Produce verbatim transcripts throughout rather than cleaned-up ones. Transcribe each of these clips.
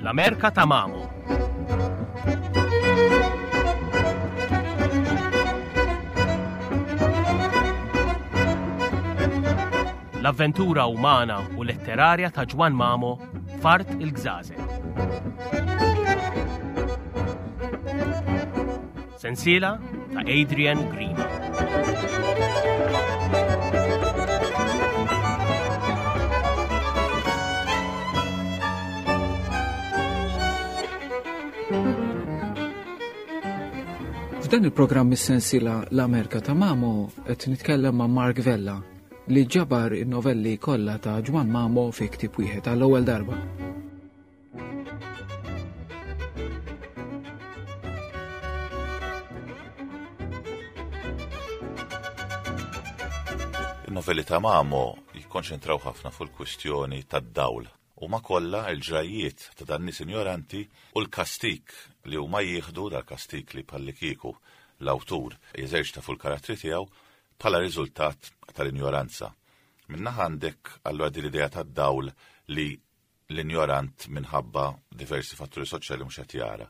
L-Amerka ta' Mamo. L-avventura umana u letterarja ta' Ġwann Mamo f'Art il-Gżażel. Sensiela ta' Adrian Grima. F'dan il-programm is-sensiela L-Amerka ta' Mamo qed nitkellem ma' Mark Vella li ġabar in-novelli kollha ta' Ġwann Mamo fi ktieb wieħed għall-ewwel darba. Il-novelli ta' Mamo jikkonċentraw ħafna fuq il-kwistjoni tad-dawl. Huma kollha l-ġrajjiet ta' dan nies injoranti u l-kastik li huma jieħdu, dal-kastik li bħallikieku l-awtur jeżerċita fuq il-karattri tiegħu bħala riżultat tal-injoranza. Minnaħa għandek allura din l-idea tad-dawl li l-injorant minħabba diversi fatturi soċjali mhux qed jara.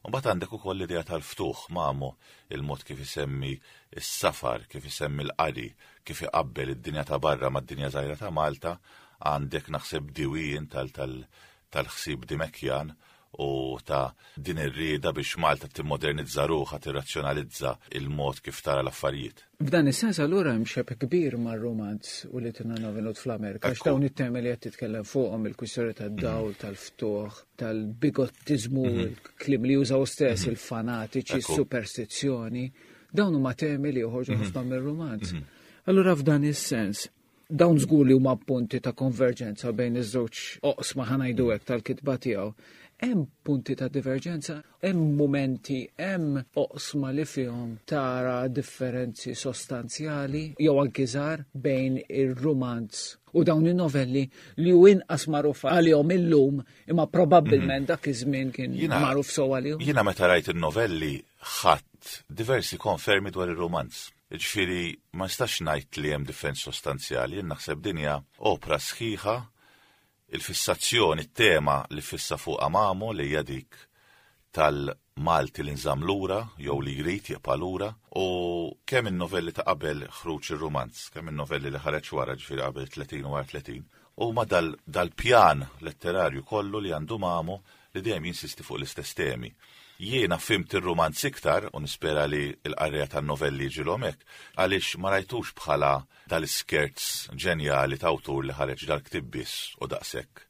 U mbagħad għandek ukoll l-idea tal-ftuħ. Mamo, il-mod kif isemmi s-safar, kif isemmi l-qari, kif iqabbel id-dinja ta' barra mad-dinja żgħira ta' Malta, għandek naħseb diwien tal-, tal-, tal-ħsieb Dimekjan u ta' din ir-rieda biex Malta timmodernizza ruħha, tirrazzjonalizza il-mod kif tara l-affarijiet. F'dan is-sens allura hemm xebh kbir mar-romanz u li tinna venut fl-Amerika, għax Ekku. dawn it-temi li qed titkellem fuqhom, il-kwistjoni tad-dawl, Mhm. tal-ftuħ, tal-bigottiżmu, Mhm. il-kliem li jużaw stess, Mhm. il-fanatiċi, Ekku. superstizzjoni, dawn huma temi li joħorġu Mhm. ħafna mir-romanz. Mhm. Allura f'dan is-sens, dawn żgur li huma punti ta' konverġenza bejn iż-żewġ oqsma ħa ngħidu hekk tal-kitba tiegħu. Hemm punti ta' diverġenza, hemm momenti, hemm oqsma li fihom tara differenzi sostanzjali jew anki żgħar bejn ir-romanz u dawn in-novelli li hu inqas magħruf għalihom illum, imma probabbilment Mhm. dak iż-żmien kien Jiena- magħruf sew għalihom. Jiena meta rajt in-novelli ħadd diversi konfermi dwar ir-romanz. Ġifieri ma nistax ngħid li hemm differenzi sostanzjali, jien naħseb din hija opra sħiħa, il-fissazzjoni, it-tema li fissa fuq Mamo li hija dik tal-Malti li nżamm lura jew li jrid jibqa' lura, u kemm in-novelli ta' qabel ħruġ ir-romanz, kemm in-novelli li ħareġ wara, ġifieri qabel tletin u wara tletin, huma dal-, dal-pjan letterarju kollu li għandu Mamo li dejjem jinsisti fuq l-istess temi. Jiena fimt ir-romanz iktar, u nispera li l-qarrija tan-novelli jiġilhom hekk, għaliex ma rajtux bħala dal-iskerz ġenjali ta' awtur li ħareġ dal-ktieb biss u daqshekk.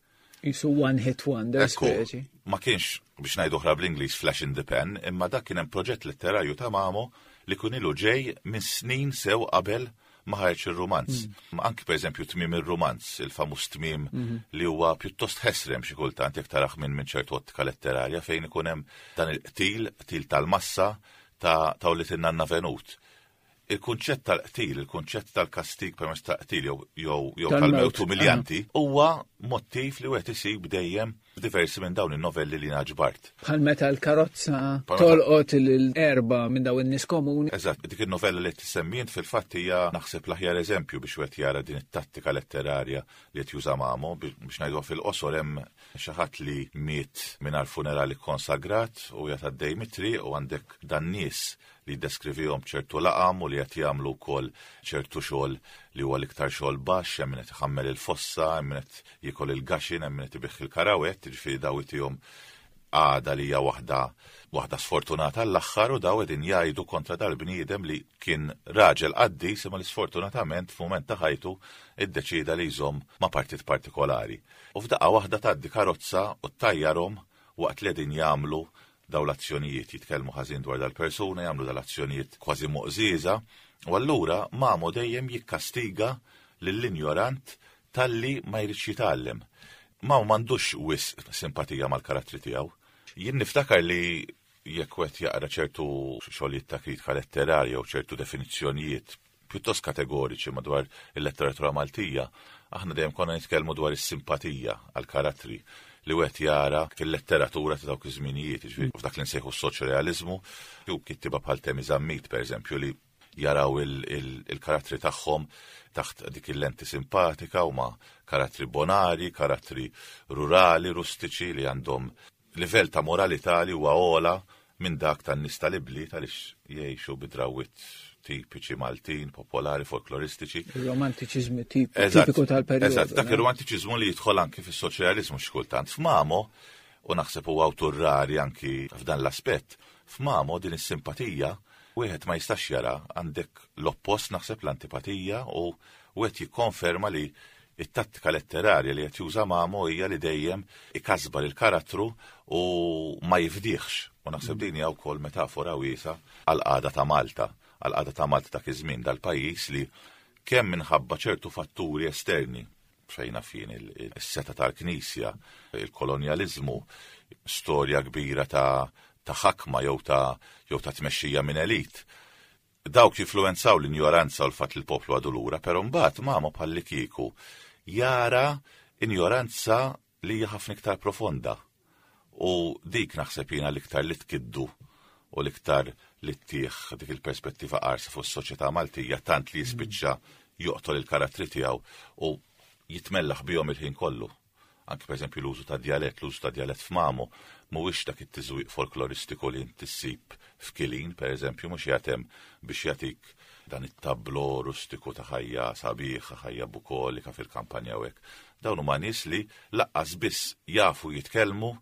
Jisu one hit wonder, Ekku, speċi. Ma kienx, biex ngħidu oħra bl-Ingliż, flash in the pan, imma dak kien hemm proġett letterarju ta' Mamo li kun ilu ġej minn snin sew qabel ma ħareġ ir-romanz. Mm. Ma anki pereżempju tmiem ir-romanz, il-famuż tmiem Mhm. li huwa pjuttost ħesrem xi kultant jekk taraħ minn, minn ċertu ottika letterarja fejn ikun hemm dan il-qtil, qtil tal-massa ta', ta' li tinnanna venut. Il-kunċett tal-qtil, il-kunċett tal-kastig permezz tal-qtil jew, jew, jew Tal-mewt. tal-mewt umiljanti huwa mottiv li wieħed isib dejjem diversi minn dawn in-novelli li ġbart. Bħal meta l-karozza Bħal meta tolqot l-erba minn dawn in-nies komuni. Eżatt, dik in-novella li tissemmi int fil-fatt hija naħseb l-aħjar eżempju biex wieħed jara din it-tattika letterarja li qed juża Mamo, bi-, biex ngħiduha fil-qosor hemm xi ħadd li miet mingħajr funerali konsagrat u qiegħed għaddej mit-triq u għandek dan nies li jiddeskrivihom ċertu laqam u li qed jagħmlu wkoll ċertu xogħol li huwa l-iktar xogħol baxx, hemm min qed iħammel il-fossa, hemm min qed jiekol il-gaxin, hemm min qed ibigħ il-karawett, jiġifieri daw itihom għada li hija waħda, waħda sfortunata l-aħħar, u daw qegħdin jgħidu kontra dal-bniedem li kien raġel qaddis imma li sfortunatament f'mument ta' ħajtu iddeċida li jżomm ma' partit partikolari. U f'daqqa waħda tgħaddi karozza u ttajjarhom waqt li qegħdin jagħmlu daw l-azzjonijiet, jitkellmu ħażin dwar dal-persuna, jagħmlu dal-azzjonijiet kważi moqżieża, u allura Mamo dejjem jikkastiga lill-injorant talli ma jridx jitgħallem. Mamo m'għandux wisq simpatija mal-karattri tiegħu. Jien niftakar li jekk wieħed jaqra ċertu xogħlijiet ta' kritika letterarja u ċertu definizzjonijiet pjuttost kategoriċi madwar il-letteratura Maltija, aħna dejjem konna nitkellmu dwar is-simpatija għall-karattri, li wieħed jara fil-letteratura ta' dawk iż-żminijiet, jiġifieri f'dak li nsejħu s-soċrealiżmu, jew kittieba bħal Temi Zammit, pereżempju, li jaraw il-karattri tagħhom taħt dik il-lenti simpatika, huma karattri bonari, karattri rurali, rustiċi li għandhom livell ta' moralità li huwa ogħla minn dak tan-nies tal-ibliet għaliex jgħixu bi drawwiet tipiċi Maltin, popolari, folkloristiċi. Il-romantiċiżmu tipiku tal-perjodu. Eżatt, dak ir-romantiċiżmu li jidħol anki fis-soċjaliżmu xi kultant. F'Mamo, u naħseb huwa awtur rari anki f'dan l-aspett, f'Mamo din is-simpatija wieħed ma jistax jara, għandek l-oppost naħseb l-antipatija, u wieħed jikkonferma li it-tattika letterarja li qed juża Mamo hija li dejjem ikasbar il-karattru u ma jifdiħx. U naħseb din hija wkoll metafora wiesa għall-qagħda ta' Malta, għall-qagħda ta' Malta dak iż-żmien, dal-pajjiż li kemm minħabba ċertu fatturi esterni, xejna fin is-seta tal-Knisja, il-kolonjaliżmu, storja kbira ta' ta' ħakma jew ta' jew ta' tmexxija minn elit. Dawk jinfluwenzaw l-injoranza u l-fatt li l-poplu għadu lura, però mbagħad Mamo bħallikieku jara injoranza li hija ħafna iktar profonda. U dik naħseb jiena l-iktar li tkiddu u l-iktar li ttieħ dik il-perspettiva qarsa fuq is-soċjetà Maltija, tant li jispiċċa joqtol il-karattri tiegħu u jitmellaħ bihom il-ħin kollu. Anki pereżempju l-użu ta' djalett, l-użu ta' djalett f'Mamo mhuwiex dak it-tiżwiq folkloristiku li inti ssib f'Kilin, pereżempju, mhux jagħtem biex jagħtik dan it-tablo rustiku ta' ħajja sabiħa, ħajja bukolika fil-kampanja u hekk. Dawn huma nies li laqqas biss jafu jitkellmu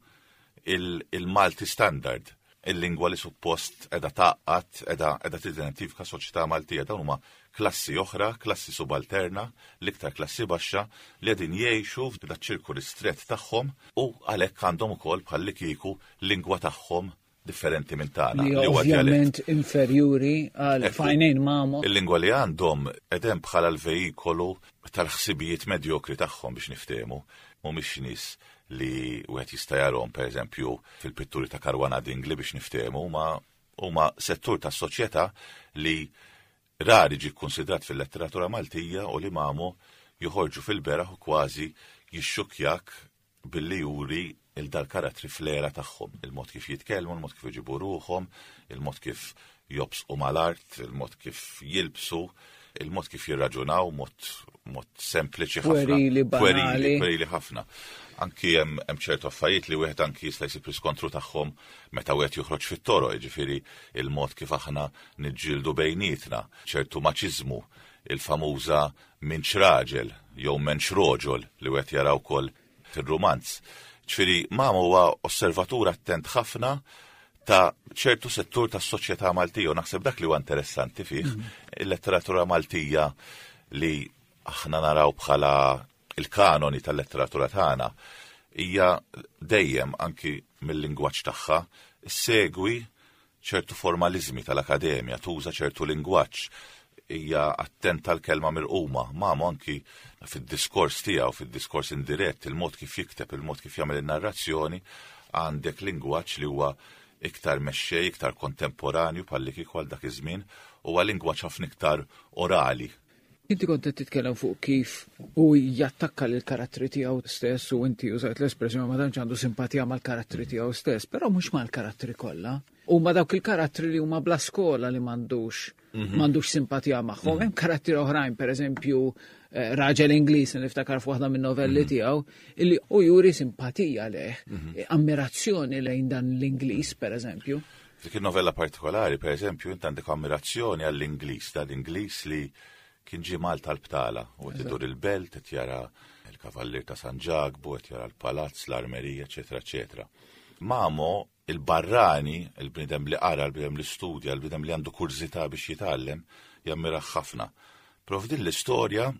il-Malti standard, il-lingwa li suppost edha taqqat, edha, edha tidentifika soċjetà Maltija. Dawn huma klassi oħra, klassi subalterna, l-iktar klassi baxxa li qegħdin jgħixu f'dak ċirku ristret tagħhom u għalhekk għandhom ukoll bħallikieku lingwa tagħhom differenti minn tagħna. Li ovvjament inferjuri għal fajnejn Mamo. Il-lingwa li għandhom qegħdem bħala l-vejikolu tal-ħsibijiet medjokri tagħhom biex niftehmu, mhumiex nies li wieħed jista' jarhom pereżempju fil-pitturi ta' Caruana Dingli biex niftehmu, huma huma settur tas-soċjetà li rari ġie kkunsidrat fil-letteratura Maltija u li Mamo joħorġu fil-beraħ u kważi jixxukjak billi juri il-dal-karattri fl-era tagħhom, il-mod kif jitkellmu, il-mod kif iġibu ruħhom, il-mod kif jobsqu mal-art, il-mod kif jilbsu, il-mod kif jirraġunaw, mod, mod sempliċi ħafna. Puerili, banali. Puerili, puerili ħafna. Anki hemm, hemm ċertu affarijiet li wieħed anki jista' jsib riskontru tagħhom meta wieħed joħroġ fit-toroq, jiġifieri il-mod kif aħna niġġieldu bejnietna, ċertu maċiżmu, il-famuża minx raġel jew menx roġol li wieħed jara wkoll fir-rumanz. Ġifieri Mamo huwa osservatur attent ħafna ta' ċertu settur tas-soċjetà Maltija u naħseb dak li huwa interessanti fih, il-letteratura Maltija li aħna naraw bħala il-kanoni tal-letteratura tagħna hija dejjem anki mill-lingwaġġ tagħha segwi ċertu formalizmi tal-akademja, tuża ċertu lingwaġġ, hija attenta l-kelma mirquma. Mamo anki fid-diskors tiegħu, fid-diskors indirett, il-mod kif jikteb, il-mod kif jagħmel in-narrazzjoni, għandek lingwaġġ li huwa iktar mexxej, iktar kontemporanju bħalli kieku għal dak iż-żmien, huwa lingwaġġ ħafna iktar orali. Inti kont qed titkellem fuq kif hu jattakka lil karattri tiegħu stess u inti użajt l-espressjoni ma tantx għandu simpatija mal-karattri tiegħu stess, però mhux mal-karattri kollha. Huma dawk il-karattri li huma bla skola li m'għandux Mhm. m'għandux simpatija magħhom. Hemm karattri oħrajn, pereżempju, eh, raġel Ingliż li niftakar f'waħda min-novelli Mhm. tiegħu, illi hu juri simpatija leh, Mhm. ammirazzjoni lejn dan l-Ingliż, pereżempju. Dik il-novella partikolari, pereżempju, int għandek ammirazzjoni għall-Ingliż, dan l-Ingliż li kien ġie Malta l-btala, u qed idur il-belt, qed jara il-Kavallier ta' San Ġakbu, qed jara l-palazz, l-armerija, eċetera, eċetera. Mamo, il-barrani, il-bniedem li qara, il-bniedem li studja, il-bniedem li għandu kurżità biex jitgħallem, jammiraħ ħafna. Però f'din l-istorja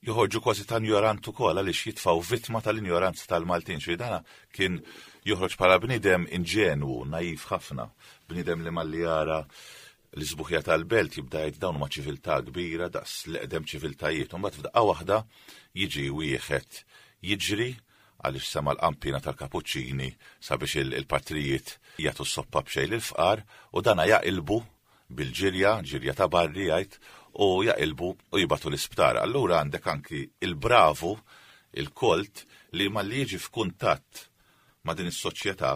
joħorġu kważi ta' injorant ukoll għaliex jitfgħu vittma tal-injoranza tal-Maltin. Xi dana kien joħroġ bħala bniedem inġenwu, naif ħafna, bniedem li malli jara l-isbuħja tal-belt jibda jgħid dawn huma ċiviltà kbira daqs l-eqdem ċiviltajiet. U mbagħad f'daqqa waħda jiġi wieħed jiġri għaliex sema l-qampina tal-kapuċċini sabiex il-, il-patrijiet jagħtu s-soppa b'xejn lill-fqar u dana jaqilbu bil-ġirja, ġirja ta' barri jgħid, u jaqilbu u jibatu l-isptar. Allura għandek anki il-bravu, il-kolt, li malli jiġi f'kuntatt ma' din is-soċjetà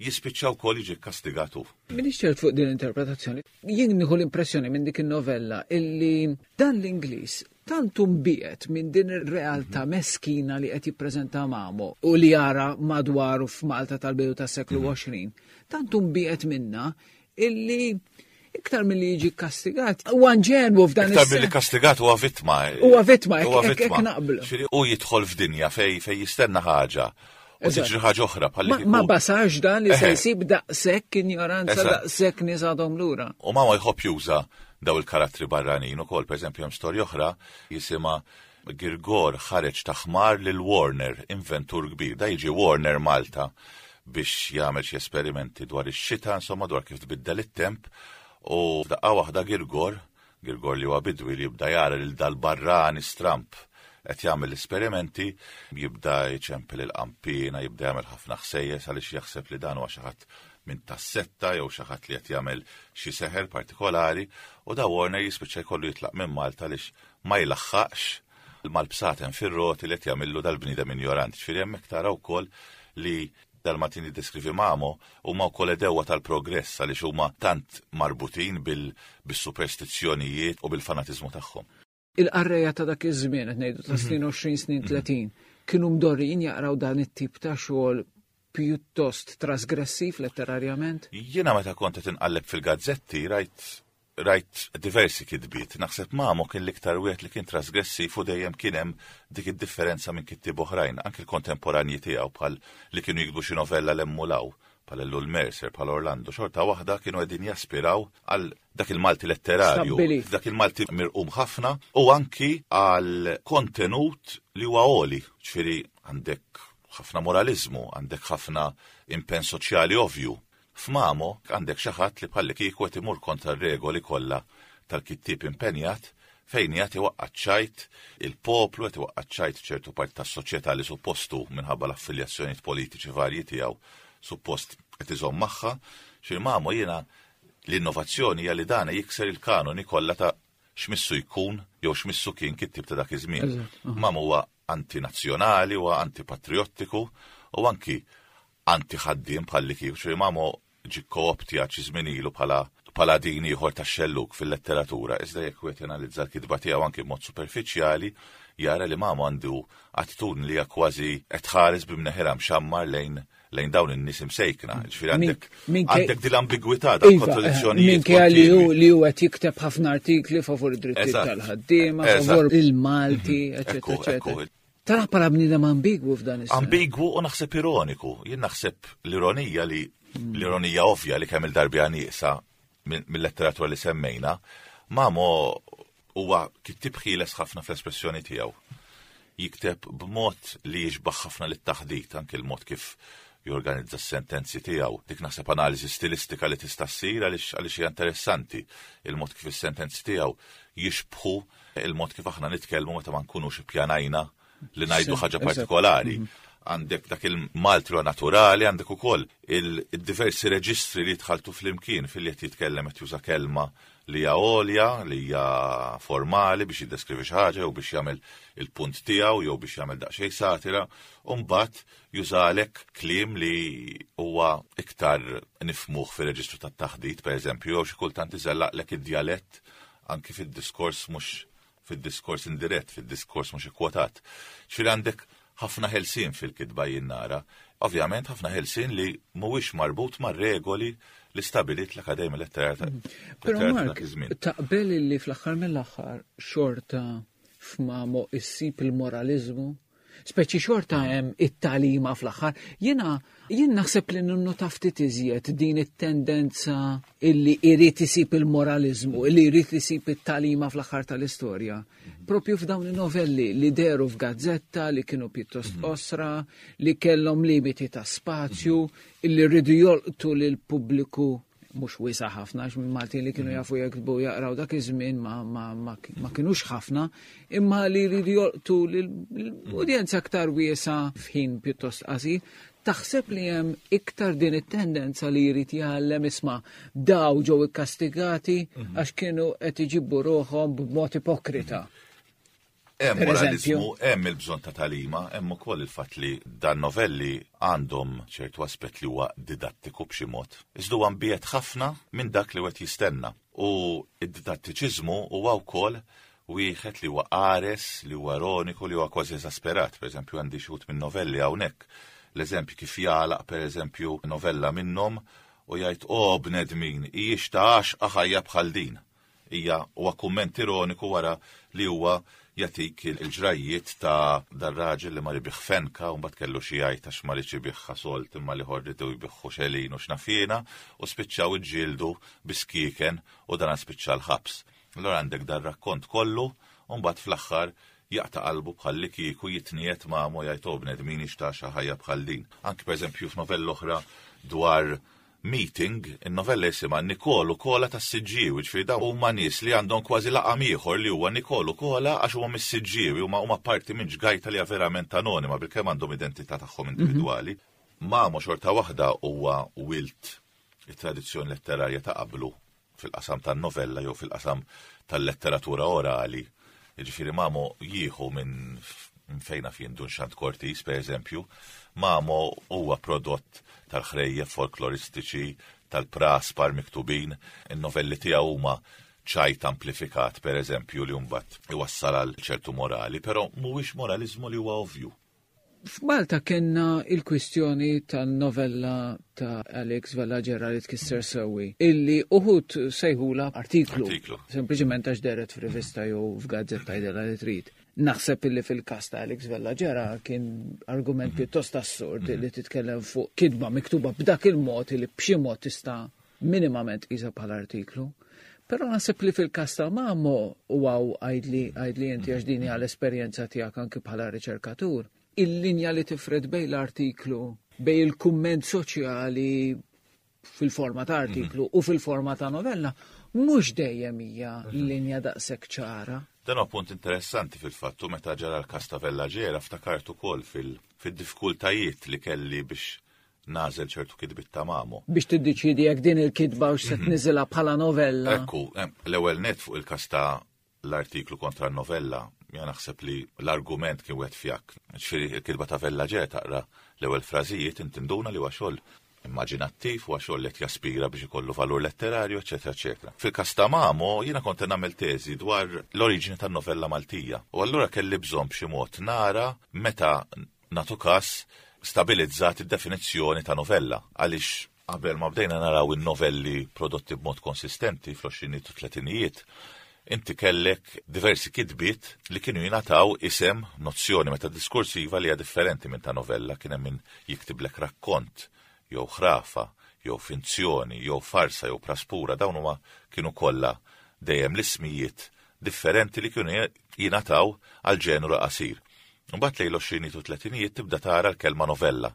jispiċċa wkoll jiġi kastigatu. Minix ċert fuq din l-interpretazzjoni. Jien nieħu l-impressjoni minn dik in-novella illi dan l-Ingliż tant imbiegħed minn din ir-realtà meskina li qed jippreżenta Mamo u li jara madwaru f'Malta tal-bidu tas-seklu għoxrin, tant imbiegħed minna illi iktar milli jiġi kastigat. Huwa inġenwu f'dan Iktar milli kastigat huwa vittma. Huwa vittma, Huwa hekk- hekk vittma. naqblu. Ġifieri, U jidħol f'dinja fej fej jistenna ħaġa. U Eżatt. tiġri ħaġa oħra bħalli Ma, kieku- ma basarx dan li se Eħe. jsib daqshekk ignoranza, Eżatt. daqshekk nies għadhom lura. U Mamo jħobb juża daw il-karattri barranin ukoll, pereżempju hemm storja oħra jisimha Girgor ħareġ ta' ħmar lil Warner, inventur kbir. Da jiġi Warner Malta biex jagħmel xi esperimenti dwar ix-xita, insomma dwar kif tbiddel it-temp. U f'daqqa waħda Girgor, Girgor li huwa bidwi li jibda jara lil dal-barrani stramp qed jagħmel l-esperimenti, jibda jċempel il-qampina, jibda jagħmel ħafna ħsejjes għaliex jaħseb li dan huwa xi ħadd minn tas-setta jew xi ħadd li qed jagħmel xi seħer partikolari, u da Warner jispiċċa jkollu jitlaq minn Malta għaliex ma jlaħħaqx mal-bsaten fir-roti li qed jagħmillu dal-bniedem ignorant. Ġifieri hemmhekk tara wkoll li dal-Maltin li deskrivi Mamo huma wkoll għedewwa tal-progress għaliex huma tant marbutin bil- bis-superstizzjonijiet u bil-fanatiżmu tagħhom. Il-qarrejja ta' dak iż-żmien, qed ngħidu ta' snin għoxrin snin tletin, kienu mdorrijin jaqraw dan it-tip ta' xogħol pjuttost trasgressiv letterarjament? Jiena meta kont qed inqalleb fil-gazzetti rajt rajt diversi kitbiet. Naħseb Mamo kien l-iktar wieħed li kien trasgressiv u dejjem kien hemm dik id-differenza minn kittieb oħrajn, anki l-kontemporanji tiegħu bħal li kienu jiktbu xi novella l-emmulaw, bħal Ellul Mercer, bħal Orlando, xorta waħda kienu qegħdin jaspiraw għal dak il-Malti letterarju, Stabbilit. dak il-Malti mirqum ħafna u anki għal kontenut li huwa għoli, ġifieri għandek ħafna moralizmu, għandek ħafna impenn soċjali ovvju. F'Mamo għandek xi ħadd li bħalli kieku qed imur kontra r-regoli kollha tal-kittieb impenjat fejn qed iwaqqa' ċajt il-poplu, qed iwaqqa' ċajt ċertu parti tas-soċjetà li suppostu minħabba l-affiljazzjonijiet politiċi varji tiegħu suppost qed iżomm magħha. Xi Mamo jiena l-innovazzjoni hija li dan jikser il-kanoni kollha ta' x'missu jkun jew x'missu kien kittieb ta' dak iż-żmien. Eżatt, aha. Mamo huwa antinazzjonali, huwa antipatriottiku u anki anti-ħaddiem bħalli kif. Ġifieri Mamo ġi kooptjat xi żmien ilu bħala paladin ieħor tax-xelluk fil-letteratura, iżda jekk wieħed janalizza l-kitba tiegħu anki b'mod superfiċjali, jara li Mamo għandu attitudni li hija kważi qed tħares b'imneħirha mxammar lejn lejn dawn in-nies imsejkna. Ġifieri għandek Min- minkej- għandek din l-ambigwità ta' Iva, kontradizzjonijiet. minkejja li hu kontinwi. li hu qed jikteb ħafna artikli favur id-drittijiet Eżatt. tal-ħaddiema, Eżatt. favur il-Malti, eċetera, Ekku, eċetera. ekku. Tara bħala bniedem ambigwu f'dan is-sens. Ambigwu u naħseb ironiku. Jien naħseb l-ironija li l-ironija ovvja li kemm il-darbi nieqsa mill-letteratura li semmejna, Mamo huwa kittieb ħieles ħafna fl-espressjoni tiegħu. Jikteb b'mod li jixbaħ ħafna lit-taħdit, anke l-mod kif jorganizza s-sentenzi tiegħu. Dik naħseb analiżi stilistika li tista' ssir għaliex għaliex hija interessanti. Il-mod kif is-sentenzi tiegħu jixbħu il-mod kif aħna nitkellmu meta ma nkunux ippjanajna li ngħidu ħaġa Eżatt. partikolari. Għandek dak il-Malti naturali, għandek ukoll il-diversi reġistri li jitħaltu flimkien fil-li qed jitkellem qed juża kelma li hija għolja, li hija formali biex jiddeskrivi xi ħaġa jew biex jagħmel il-punt tiegħu jew biex jagħmel daqsxejn satira, u mbagħad jużalek kliem li huwa iktar nifmuh fir-reġistru tat-taħdit, pereżempju, jew xi kultant iżellaqlek id-djalett anki fid-diskors mhux fid-diskors indirett, fid-diskors mhux ikkwotat. Ġifieri għandek ħafna ħelsien fil-kitba jien nara. Ovvjament ħafna ħelsien li mhuwiex marbut mar-regoli li stabilit l-Akademja Letterarja ta' Però Letterarja ta' Mark, dak iż-żmien. taqbel li fl-aħħar mill-aħħar xorta f'Mamo issib il-moralizmu, speċi xorta hemm it-tagħlima fl-aħħar. Jiena jien naħseb li ninnota ftit iżjed din it-tendenza illi irid isib il-moralizmu, illi jrid isib it-tagħlima fl-aħħar tal-istorja. Propju f'dawn in-novelli li deru f'gazzetta, li kienu pjuttost qosra, li kellhom limiti ta' spazju, illi rridu jolqtu lil pubbliku mhux wiesa' ħafna, għax minn Maltin li kienu jafu jiktbu jaqraw dak iż-żmien ma, ma, ma, ma kinux ħafna, imma li jridu jolqtu l-udjenza aktar wiesa' f'ħin pjuttost qasir. Taħseb li hemm iktar din it-tendenza li jrid jgħallem isma' daw ġew ikkastigati għax kienu qed iġibu ruħhom b'mod ipokrita. Hemm moralizmu, hemm il-bżonn ta' tagħlima, hemm ukoll il-fatt li dan novelli għandhom ċertu aspett li huwa didattiku b'xi mod. Iżda huwa mbiegħed ħafna minn dak li wieħed jistenna. U id-didattiċiżmu huwa wkoll wieħed li huwa qares, li huwa ironiku, li huwa kważi esasperat. Per eżempju, għandi xi minn novelli hawnhekk. L-eżempju kif jagħlaq, per eżempju, novella minnhom u jgħid: "O bnedmin, hijiex ta' għaxqa ħajja bħal din." Hija huwa kumment ironiku wara li huwa jatik il-ġrajiet ta' dar-raġel li mar ibigħ fenka u mbagħad kellu xi jgħid għax ma riedx ibigħha sold imma l-ieħor riedu jbigħu xelin u x'naf jiena u spiċċaw iġġieldu biskieken u dan spiċċa l-ħabs. Allora għandek dar-rakkont kollu u mbagħad fl-aħħar jaqta' qalbu bħal li kieku jitniet ma' mo jgħid: "O bnedmin, x'ta' ħajja bħal din." Anki, pereżempju, f'novella oħra dwar meeting, il-novella jisimha Nikolu Kola tas-Siġġiewi, ġifieri dawn huma nies li għandhom kważi laqam ieħor li huwa Nikolu Kola għax huma mis-Siġġiewi, huma huma parti minn ġgajta li hija verament anonima bilkemm għandhom identità tagħhom individwali. Mamo xorta waħda huwa wilt it-tradizzjoni letterarja ta' qablu fil-qasam tan-novella jew fil-qasam tal-letteratura orali. Ġifieri Mamo jieħu minn fejna fien Dun Xand Cortis, per eżempju. Mamo huwa prodott tal-ħrejjef folkloristiċi, tal-praspar miktubin, il-novelli tiegħu huma ċajt amplifikat, per eżempju, li mbagħad iwassal għal ċertu morali, però mhuwiex moralizmu li huwa ovvju. F'Malta kellna il-kwistjoni tan-novella ta' Alex Vella Gera li tkisser sewwi, illi uħud sejħula artiklu. Artiklu. Sempliċement għax dehret f'rivista jew f'gazzetta, għidilha li trid. Naħseb illi fil-kas ta' Alex Vella Gera kien argument pjuttost assurd li titkellem fuq kitba miktuba b'dak il-mod li b'xi mod tista' minimament tqisha bħala artiklu. Però naħseb li fil-kas ta' Mamo, u għaw għajdli għajdli inti għax dini għal-esperjenza tiegħek anki bħala riċerkatur, il-linja li tifred bejn l-artiklu, bejn il-kumment soċjali fil-forma ta' artiklu u fil-forma ta' novella, mhux dejjem hija linja daqshekk ċara. Dan huwa punt interessanti fil-fattu. Meta ġara l-kas ta' Vella Gera ftakart ukoll fil-diffikultajiet li kelli biex nagħżel ċertu kitbiet ta' Mamo. Biex tiddeċidi jekk din il-kitba u se tniżilha bħala novella. Ekku, l-ewwel net fuq il-kas ta' l-artiklu kontra n-novella, jien naħseb li l-argument kien wieħed fjakk. Ġifieri il-kitba ta' Vella Gera, taqra l-ewwel frażijiet, inti tinduna li huwa xogħol immaġinattiv, huwa xogħol li qed jaspira biex ikollu valur letterarju, eċetera, eċetera. Fil-kas ta' Mamo, jiena kont nagħmel teżi dwar l-oriġini tan-novella Maltija. U allura kelli bżonn b'xi mod nara meta nagħtu kas stabilizzat id-definizzjoni ta' novella, għaliex qabel ma bdejna naraw in-novelli prodotti b'mod konsistenti fl-għoxrinijiet u tletinijiet, inti kellek diversi kitbiet li kienu jingħataw isem, nozzjoni meta diskursiva li hija differenti minn ta' novella. Kien hemm min jiktiblek rakkont, jew ħrafa, jew finzjoni, jew farsa, jew praspura. Dawn huma kienu kollha dejjem l-ismijiet differenti li kienu jingħataw għal ġenru qasir. Mbagħad lejn l-għoxrinijiet u tletinijiet tibda tara l-kelma novella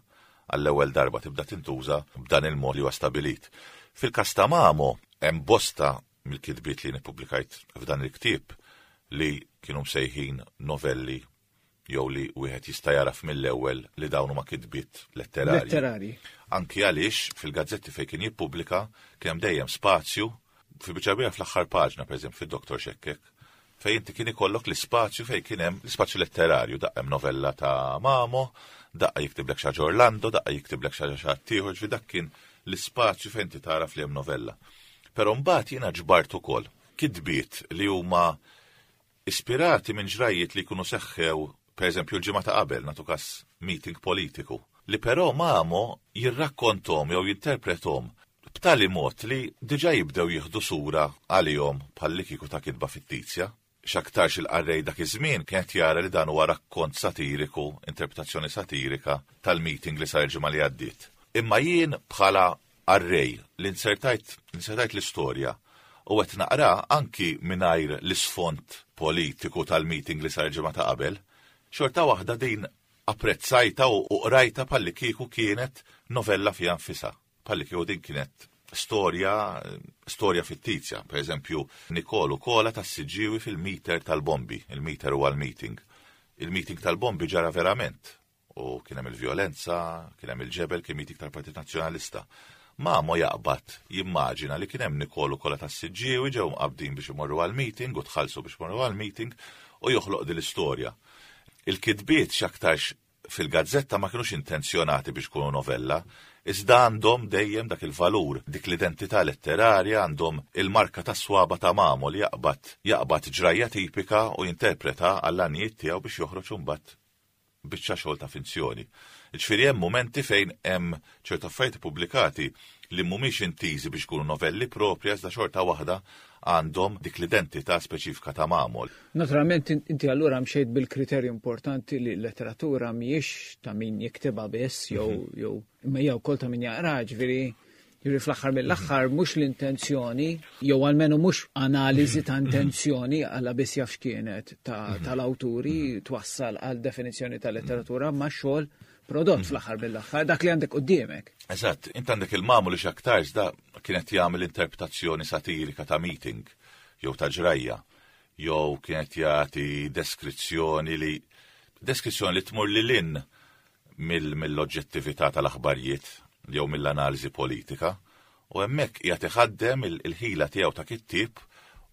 għall-ewwel darba tibda tintuża b'dan il-mod li huwa stabilit. Fil-kas ta' Mamo hemm bosta mill-kitbiet li nippubblikajt f'dan il-ktieb li kienu msejħin novelli jew li wieħed jista' jaraf mill-ewwel li dawn huma kitbiet letterarji. Letterari. Anki għaliex fil-gazzetti fejn kien jippubblika kien hemm dejjem spazju fi biċċa fl-aħħar paġna, pereżempju fid-Doktor Xekkek, fejn inti kien ikollok l-ispazju fejn kien hemm l-ispazju letterarju, daqqa hemm novella ta' Mamo, daqqa jiktiblek xi ħaġa Orlando, daqqa jiktiblek xi ħaġa xi ħadd ieħor, ġifieri dak kien l-ispazju fejn inti taraf li hemm novella. Però mbagħad jiena ġbart ukoll kitbiet li huma ispirati minn ġrajiet li jkunu seħħew, pereżempju, l-ġimgħa ta' qabel, nagħtu kas meeting politiku, li però Mamo jirrakkontom jew jinterpretom b'tali mod li diġà jibdew jieħdu sura għalihom bħal kieku ta' kitba fittizja. X'aktarx il-qarrej dak iż-żmien kienet jara li dan huwa rakkont satiriku, interpretazzjoni satirika tal-meeting li sar il-ġimgħa li għaddiet. Imma jien bħala qarrej li insertajt insertajt l-istorja u qed naqra anki mingħajr l-isfond politiku tal-meeting li sar il-ġimgħa ta' qabel, xorta waħda din apprezzajta u u qrajta bħalli kieku kienet novella fiha nfisha. Bħalli kieku din kienet storja storja fittizja. Per eżempju, Nikolu Kola tas-Siġġiewi fil-meter tal-bombi. Il-meter huwa l-meeting. Il-meeting tal-bombi ġara verament. U kien hemm il-vjolenza, kien hemm il-ġebel, kien meeting tal-Partit Nazzjonalista. Mamo jaqbad jimmaġina li kien hemm Nikolu Kola tas-Siġġiewi ġew mqabdin biex imorru għal-meeting u tħallsu biex imorru għal-meeting u joħloq din l-istorja. Il-kitbiet x'aktarx fil-gazzetta ma kienux intenzjonati biex kunu novella, iżda għandhom dejjem dak il-valur, dik l-identità letterarja, għandhom il-marka ta' swaba ta' Mamo li jaqbad jaqbad ġrajja tipika u jinterpreta għall-għanijiet tiegħu biex joħroġ imbagħad biċċa xogħol ta' finzjoni. Ġifieri hemm momenti fejn hemm ċertu affarijiet pubblikati li mhumiex intiżi biex ikunu novelli propri, iżda xorta waħda għandhom dik l-identità speċifika ta' Mamo. Naturalment inti allura mxejt bil-kriterju importanti li l-letteratura mhijiex ta' min jiktibha biss jew jew imma hija wkoll ta' min jaqra, ġifieri ġifieri fl-aħħar mill-aħħar mhux l-intenzjoni jew almenu mhux analiżi ta' intenzjoni għalla biss jaf x'kienet tal-awturi twassal għal definizzjoni ta' letteratura, ma' xogħol prodott fl-aħħar mill-aħħar dak li għandek quddiemek. Eżatt, int għandek il-Mamo li x'aktarx da kienet jagħmel interpretazzjoni satirika ta' meeting jew ta' ġrajja, jew kienet jagħti deskrizzjoni li deskrizzjoni li tmur lil hinn mill-oġġettività tal-aħbarijiet jew mill-analiżi politika, u hemmhekk qiegħed iħaddem il-ħila tiegħu ta' kittieb,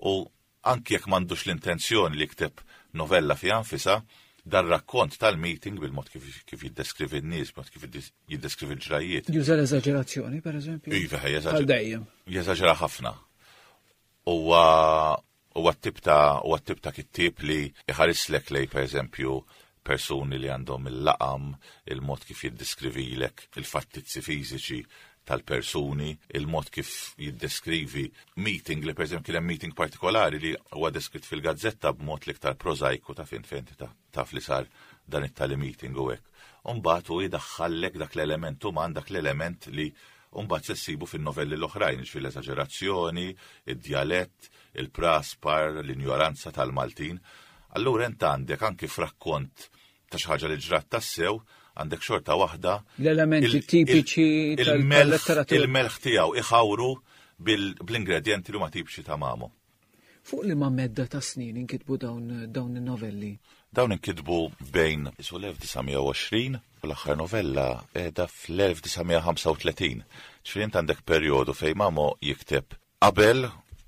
u anki jekk m'għandux l-intenzjoni li jikteb novella fiha nfisha, dar rakkont tal-meeting bil-mod kif, kif jiddeskrivi n-nies, bil-mod kif jiddeskrivi l-ġrajiet. Juża l-eżaġerazzjoni, per eżempju? Iva, Għal dejjem. Jeżaġera ħafna. Huwa huwa t-tip ta' huwa t-tip ta' kittieb li iħarislek lej, per eżempju, persuni li għandhom il-laqam, il-mod kif jiddeskrivilek il-fattizzi fiżiċi tal-persuni, il-mod kif jiddeskrivi meeting li, per eżempju, kien hemm meeting partikolari li huwa deskritt fil-gazzetta b'mod l-iktar prożajku ta' fin fejn taf li sar dan it-tali meeting u hekk. Umbagħad hu jidaħħallek dak l-element uman, dak l-element li mbagħad se ssibu fin-novelli l-oħrajn, ġifieri l-eżaġerazzjoni, id-djalett, il-praspar, l-injoranza tal-Maltin. Allura int għandek anki f'rakkont ta' xi ħaġa li ġrat tassew, għandek xorta waħda l-elementi il- tipiċi il- tal- il-melħ tal-letteratura. Il-melħ tiegħu iħawru bil-ingredienti li huma tipiċi ta' Mamo. Fuq li ma medda ta' snin inkitbu dawn, dawn in-novelli? Dawn inkitbu bejn isu l-elf disa' mija u għoxrin u l-aħħar novella qiegħda fl-elf disa' mija ħamsa u tletin. Ġifieri int għandek perjodu fejn Mamo jikteb qabel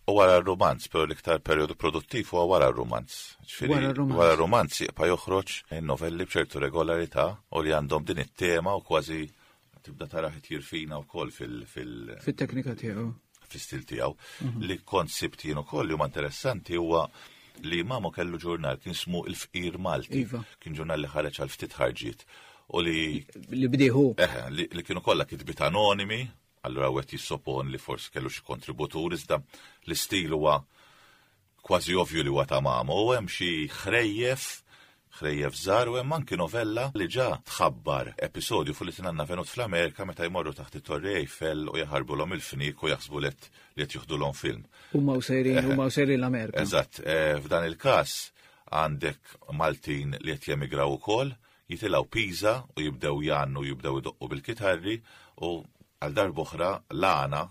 u wara r-rumanz, però l-iktar perjodu produttiv huwa wara r-rumanz. Ġifieri Wara r-rumanz. Wara r-rumanz jibqa' joħroġ novelli b'ċertu regolarità u li għandhom din it-tema u kważi tibda taraħ jirfina wkoll fil- fil- Fit-teknika tiegħu. Fl-istil tiegħu. Li kont sibt jien ukoll li huma interessanti huwa li Mamo kellu ġurnal kien ismu Il-Fqir Malti. Iva. Kien ġurnal li ħareġ għal ftit ħarġiet u li Li bdiehu. Eħe, li, li kienu kollha kitbiet anonimi, allura wieħed jissopon li forsi kellu xi kontributur, iżda l-istil huwa kważi ovvju li huwa ta' Mamo. U hemm xi ħrejjef, ħrejjef żgħar, u hemm anki novella li ġa tħabbar episodju fuq li tinanna venut fl-Amerika meta jmorru taħt it-Torri Eiffel u jaħarbulhom il-fnik u jaħsbu li qed li qed joħdulhom film. Huma u sejrin, huma u sejrin l-Amerika. Eżatt, eh, f'dan il-każ għandek Maltin li qed jemigraw ukoll, jitilgħu Pisa u jibdew jgħannu, jibdew idoqqu bil-kitarri, u għal darb'oħra l-għana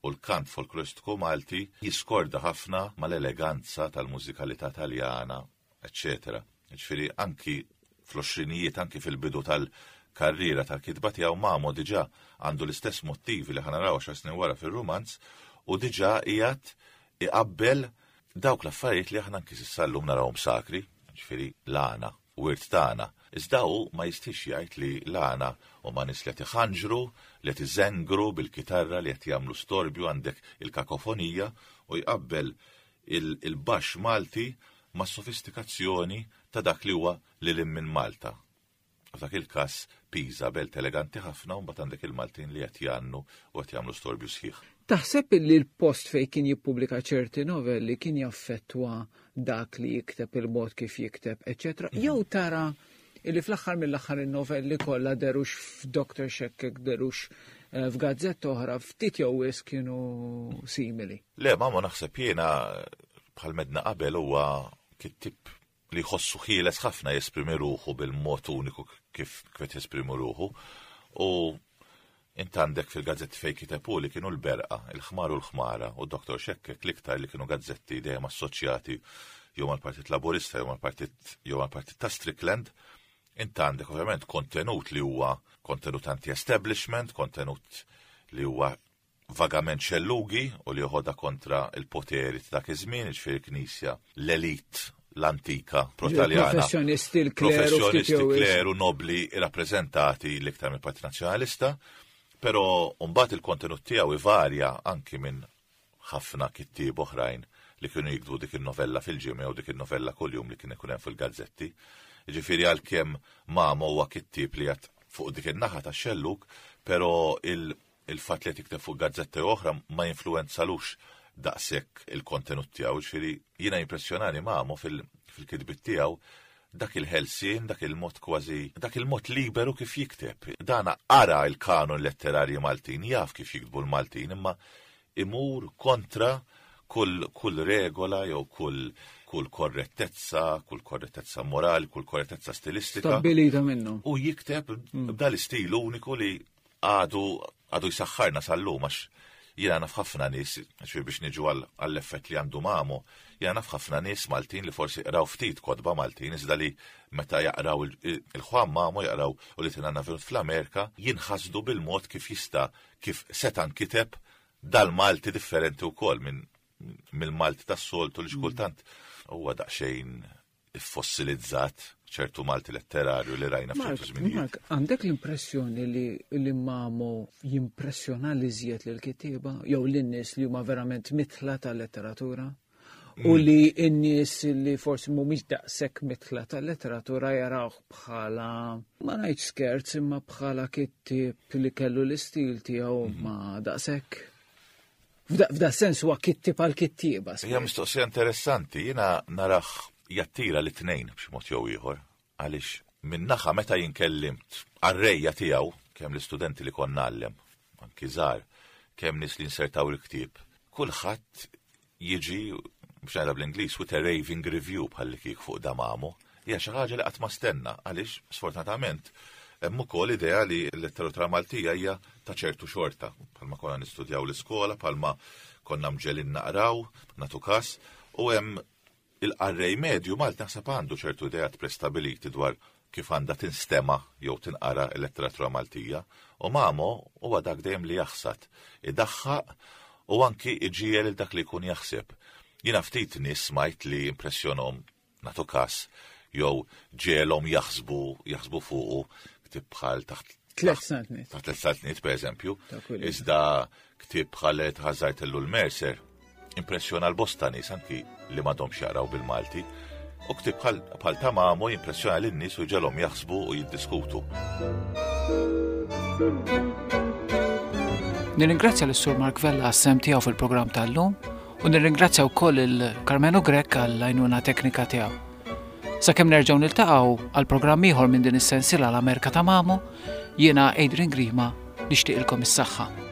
u l-kant folkloristiku Malti jiskorda ħafna mal-eleganza tal-mużikalità Taljana, eċċetera. Ġifieri anki fl-għoxrinijiet, anki fil-bidu tal-karriera tal-kitba tiegħu, Mamo diġà għandu l-istess motivi li ħa naraw għaxar snin wara fir-rumanz u diġà qiegħed iqabbel dawk l-affarijiet li aħna anki s'issa llum narawhom sakri, ġifieri l-għana, wirt tagħna. Iżda hu ma jistix jgħid li l-għana huma nies li qed iħanġru, li qed iżengru bil-kitarra, li qed jagħmlu storbju, għandek il-kakofonija, u jqabbel il-baxx Malti ma' sofistikazzjoni ta' dak li huwa lil minn Malta. F'dak il-każ Pisa, belt eleganti ħafna, u mbagħad għandek il-Maltin li qed jgħannu u qed jagħmlu storbju sħiħ. Taħseb li l-post fej kien jippubblika ċerti novelli kien jaffettwa dak li jikteb, il-mod kif jikteb, eċċetera? Jew tara illi fl-aħħar mill-aħħar in-novelli kollha, derux f'Doktor Xekkek, derux eh, f'gazzetta oħra, ftit jew wisq kienu simili? Le, Mamo naħseb jiena, bħal m'għedna qabel, huwa kittib li jħossu ħieles ħafna jesprimi ruħu bil-mod uniku kif kif qed jesprimi ruħu. U int għandek fil-gazzetti fej kiteb hu li kienu l-Berqa, il-Ħmar u l-Ħmara u Doktor Xekkek, l-iktar li kienu gazzetti dejjem assoċjati jew mal-Partit Laburista jew mal-Partit jew mal-Partit ta' Strickland. Int għandek ovvjament kontenut li huwa kontenut anti-establishment, kontenut li huwa vagament xellugi u li joħodha kontra il-poteri ta' dak iż-żmien, jiġifieri knisja, l-elit l-antika pro-Taljana. Professjonisti, l-kleru, Professjonisti, kleru, nobli, rappresentati l-iktar mill-Partit Nazzjonalista, però mbagħad il-kontenut tiegħu ivarja anki minn ħafna kittieb oħrajn li kienu jiktbu dik il-novella fil-ġimgħa u dik il-novella kuljum li kien ikun hemm fil-gazzetti. Ġifieri għalkemm Mamo huwa kittieb li għad fuq dik in-naħa tax-xellug, però il-fatt li tikteb fuq gazzetti oħra ma jinfluwenzalux daqshekk il-kontenut tiegħu. Ġifieri jiena impressjonani Mamo fil-kitbiet tiegħu dak il-ħelsien, dak il-mod kważi, dak il-mod liberu kif jikteb. Dana qara il-kanon letterarji Maltin, jaf kif jiktbu l-Maltin, imma imur kontra kull, kull regola jew kull kull korrettezza, kull korrettezza morali, kull korrettezza stilistika. Stabbilita minnu. U jikteb b'dal-istil uniku li għadu għadu jisaxħarna sal-lum, għax jiena naf ħafna nies, ġifieri biex niġu għall-effett li għandu Mamo, jiena naf ħafna nies Maltin li forsi qraw ftit kotba Maltin, iżda li meta jaqraw il-Juan Mamo jaqraw u li tinanna Venut fl-Amerika, jinħasdu bil-mod kif jista' kif seta' nkiteb dal-Malti differenti wkoll minn mill-Malti tas-soltu li xkultant huwa daqsxejn iffossilizzat ċertu Malti letterarju li rajna f'ċertu żminijiet. Mark, għandek l-impressjoni li li Mamo jimpressjona li żjed lil kittieba jew lin-nies li huma verament mitla tal-letteratura? U mm. li n-nies li forsi mhumiex daqshekk mitla tal-letteratura jarawh bħala ma ngħidx skerz imma bħala kittieb li kellu l-istil tiegħu mm. ma daqshekk. F'da sens huwa kittieb għal kittieba. Hija mistoqsija interessanti, jiena narah jattira li tnejn b'xi mod jew ieħor, għaliex min-naħa meta jinkellimt qarrejja tiegħu, kemm l-istudenti li konna ngħallem, anki żgħar, kemm nies li insertaw il-ktieb, kulħadd jiġi biex ngħidha bl-Ingliż with a raving review bħal li kieku fuq da Mamo. Hija xi ħaġa li qatt ma stenna għaliex sfortunatament hemm ukoll idea li l-letteratura Maltija hija ta' ċertu xorta, bħalma konna nistudjaw l-iskola, bħalma konna mġegħlin naqraw, nagħtu kas, u hemm il-qarrej medju Malti naħseb għandu ċertu ideat prestabiliti dwar kif għandha tinstema jew tinqara l-letteratura Maltija, u Mamo huwa dak dejjem li jaħsad, idaħħaq u anki iġiegħel il dak li jkun jaħseb. Jiena ftit nies smajt li impressjonhom nagħtu kas jew ġegħelhom jaħsbu jaħsbu fuqu ktieb bħal taħt Tlet saltniet. Taħt tlet saltniet, per eżempju. Ta' kull. Iżda ktieb bħal tħażart l Mercer impressjona l-bosta nies anki li m'għadhomx jaqraw bil-Malti. U ktieb bħal bħal ta' Mamo jimpressjona lin-nies u jġegħelhom jaħsbu u jiddiskutu. Nirringrazzja lis-Sur Mark Vella għas-sehem tiegħu fil-programm tal-lum u nirringrazzja wkoll il-Karmenu Grech għall-għajnuna teknika tiegħu. Sakemm nerġgħu niltaqgħu għal programm ieħor minn din is-sensiela l-Amerika ta' Mamo, jiena Adrian Grima nixtieqilkom is-saħħa.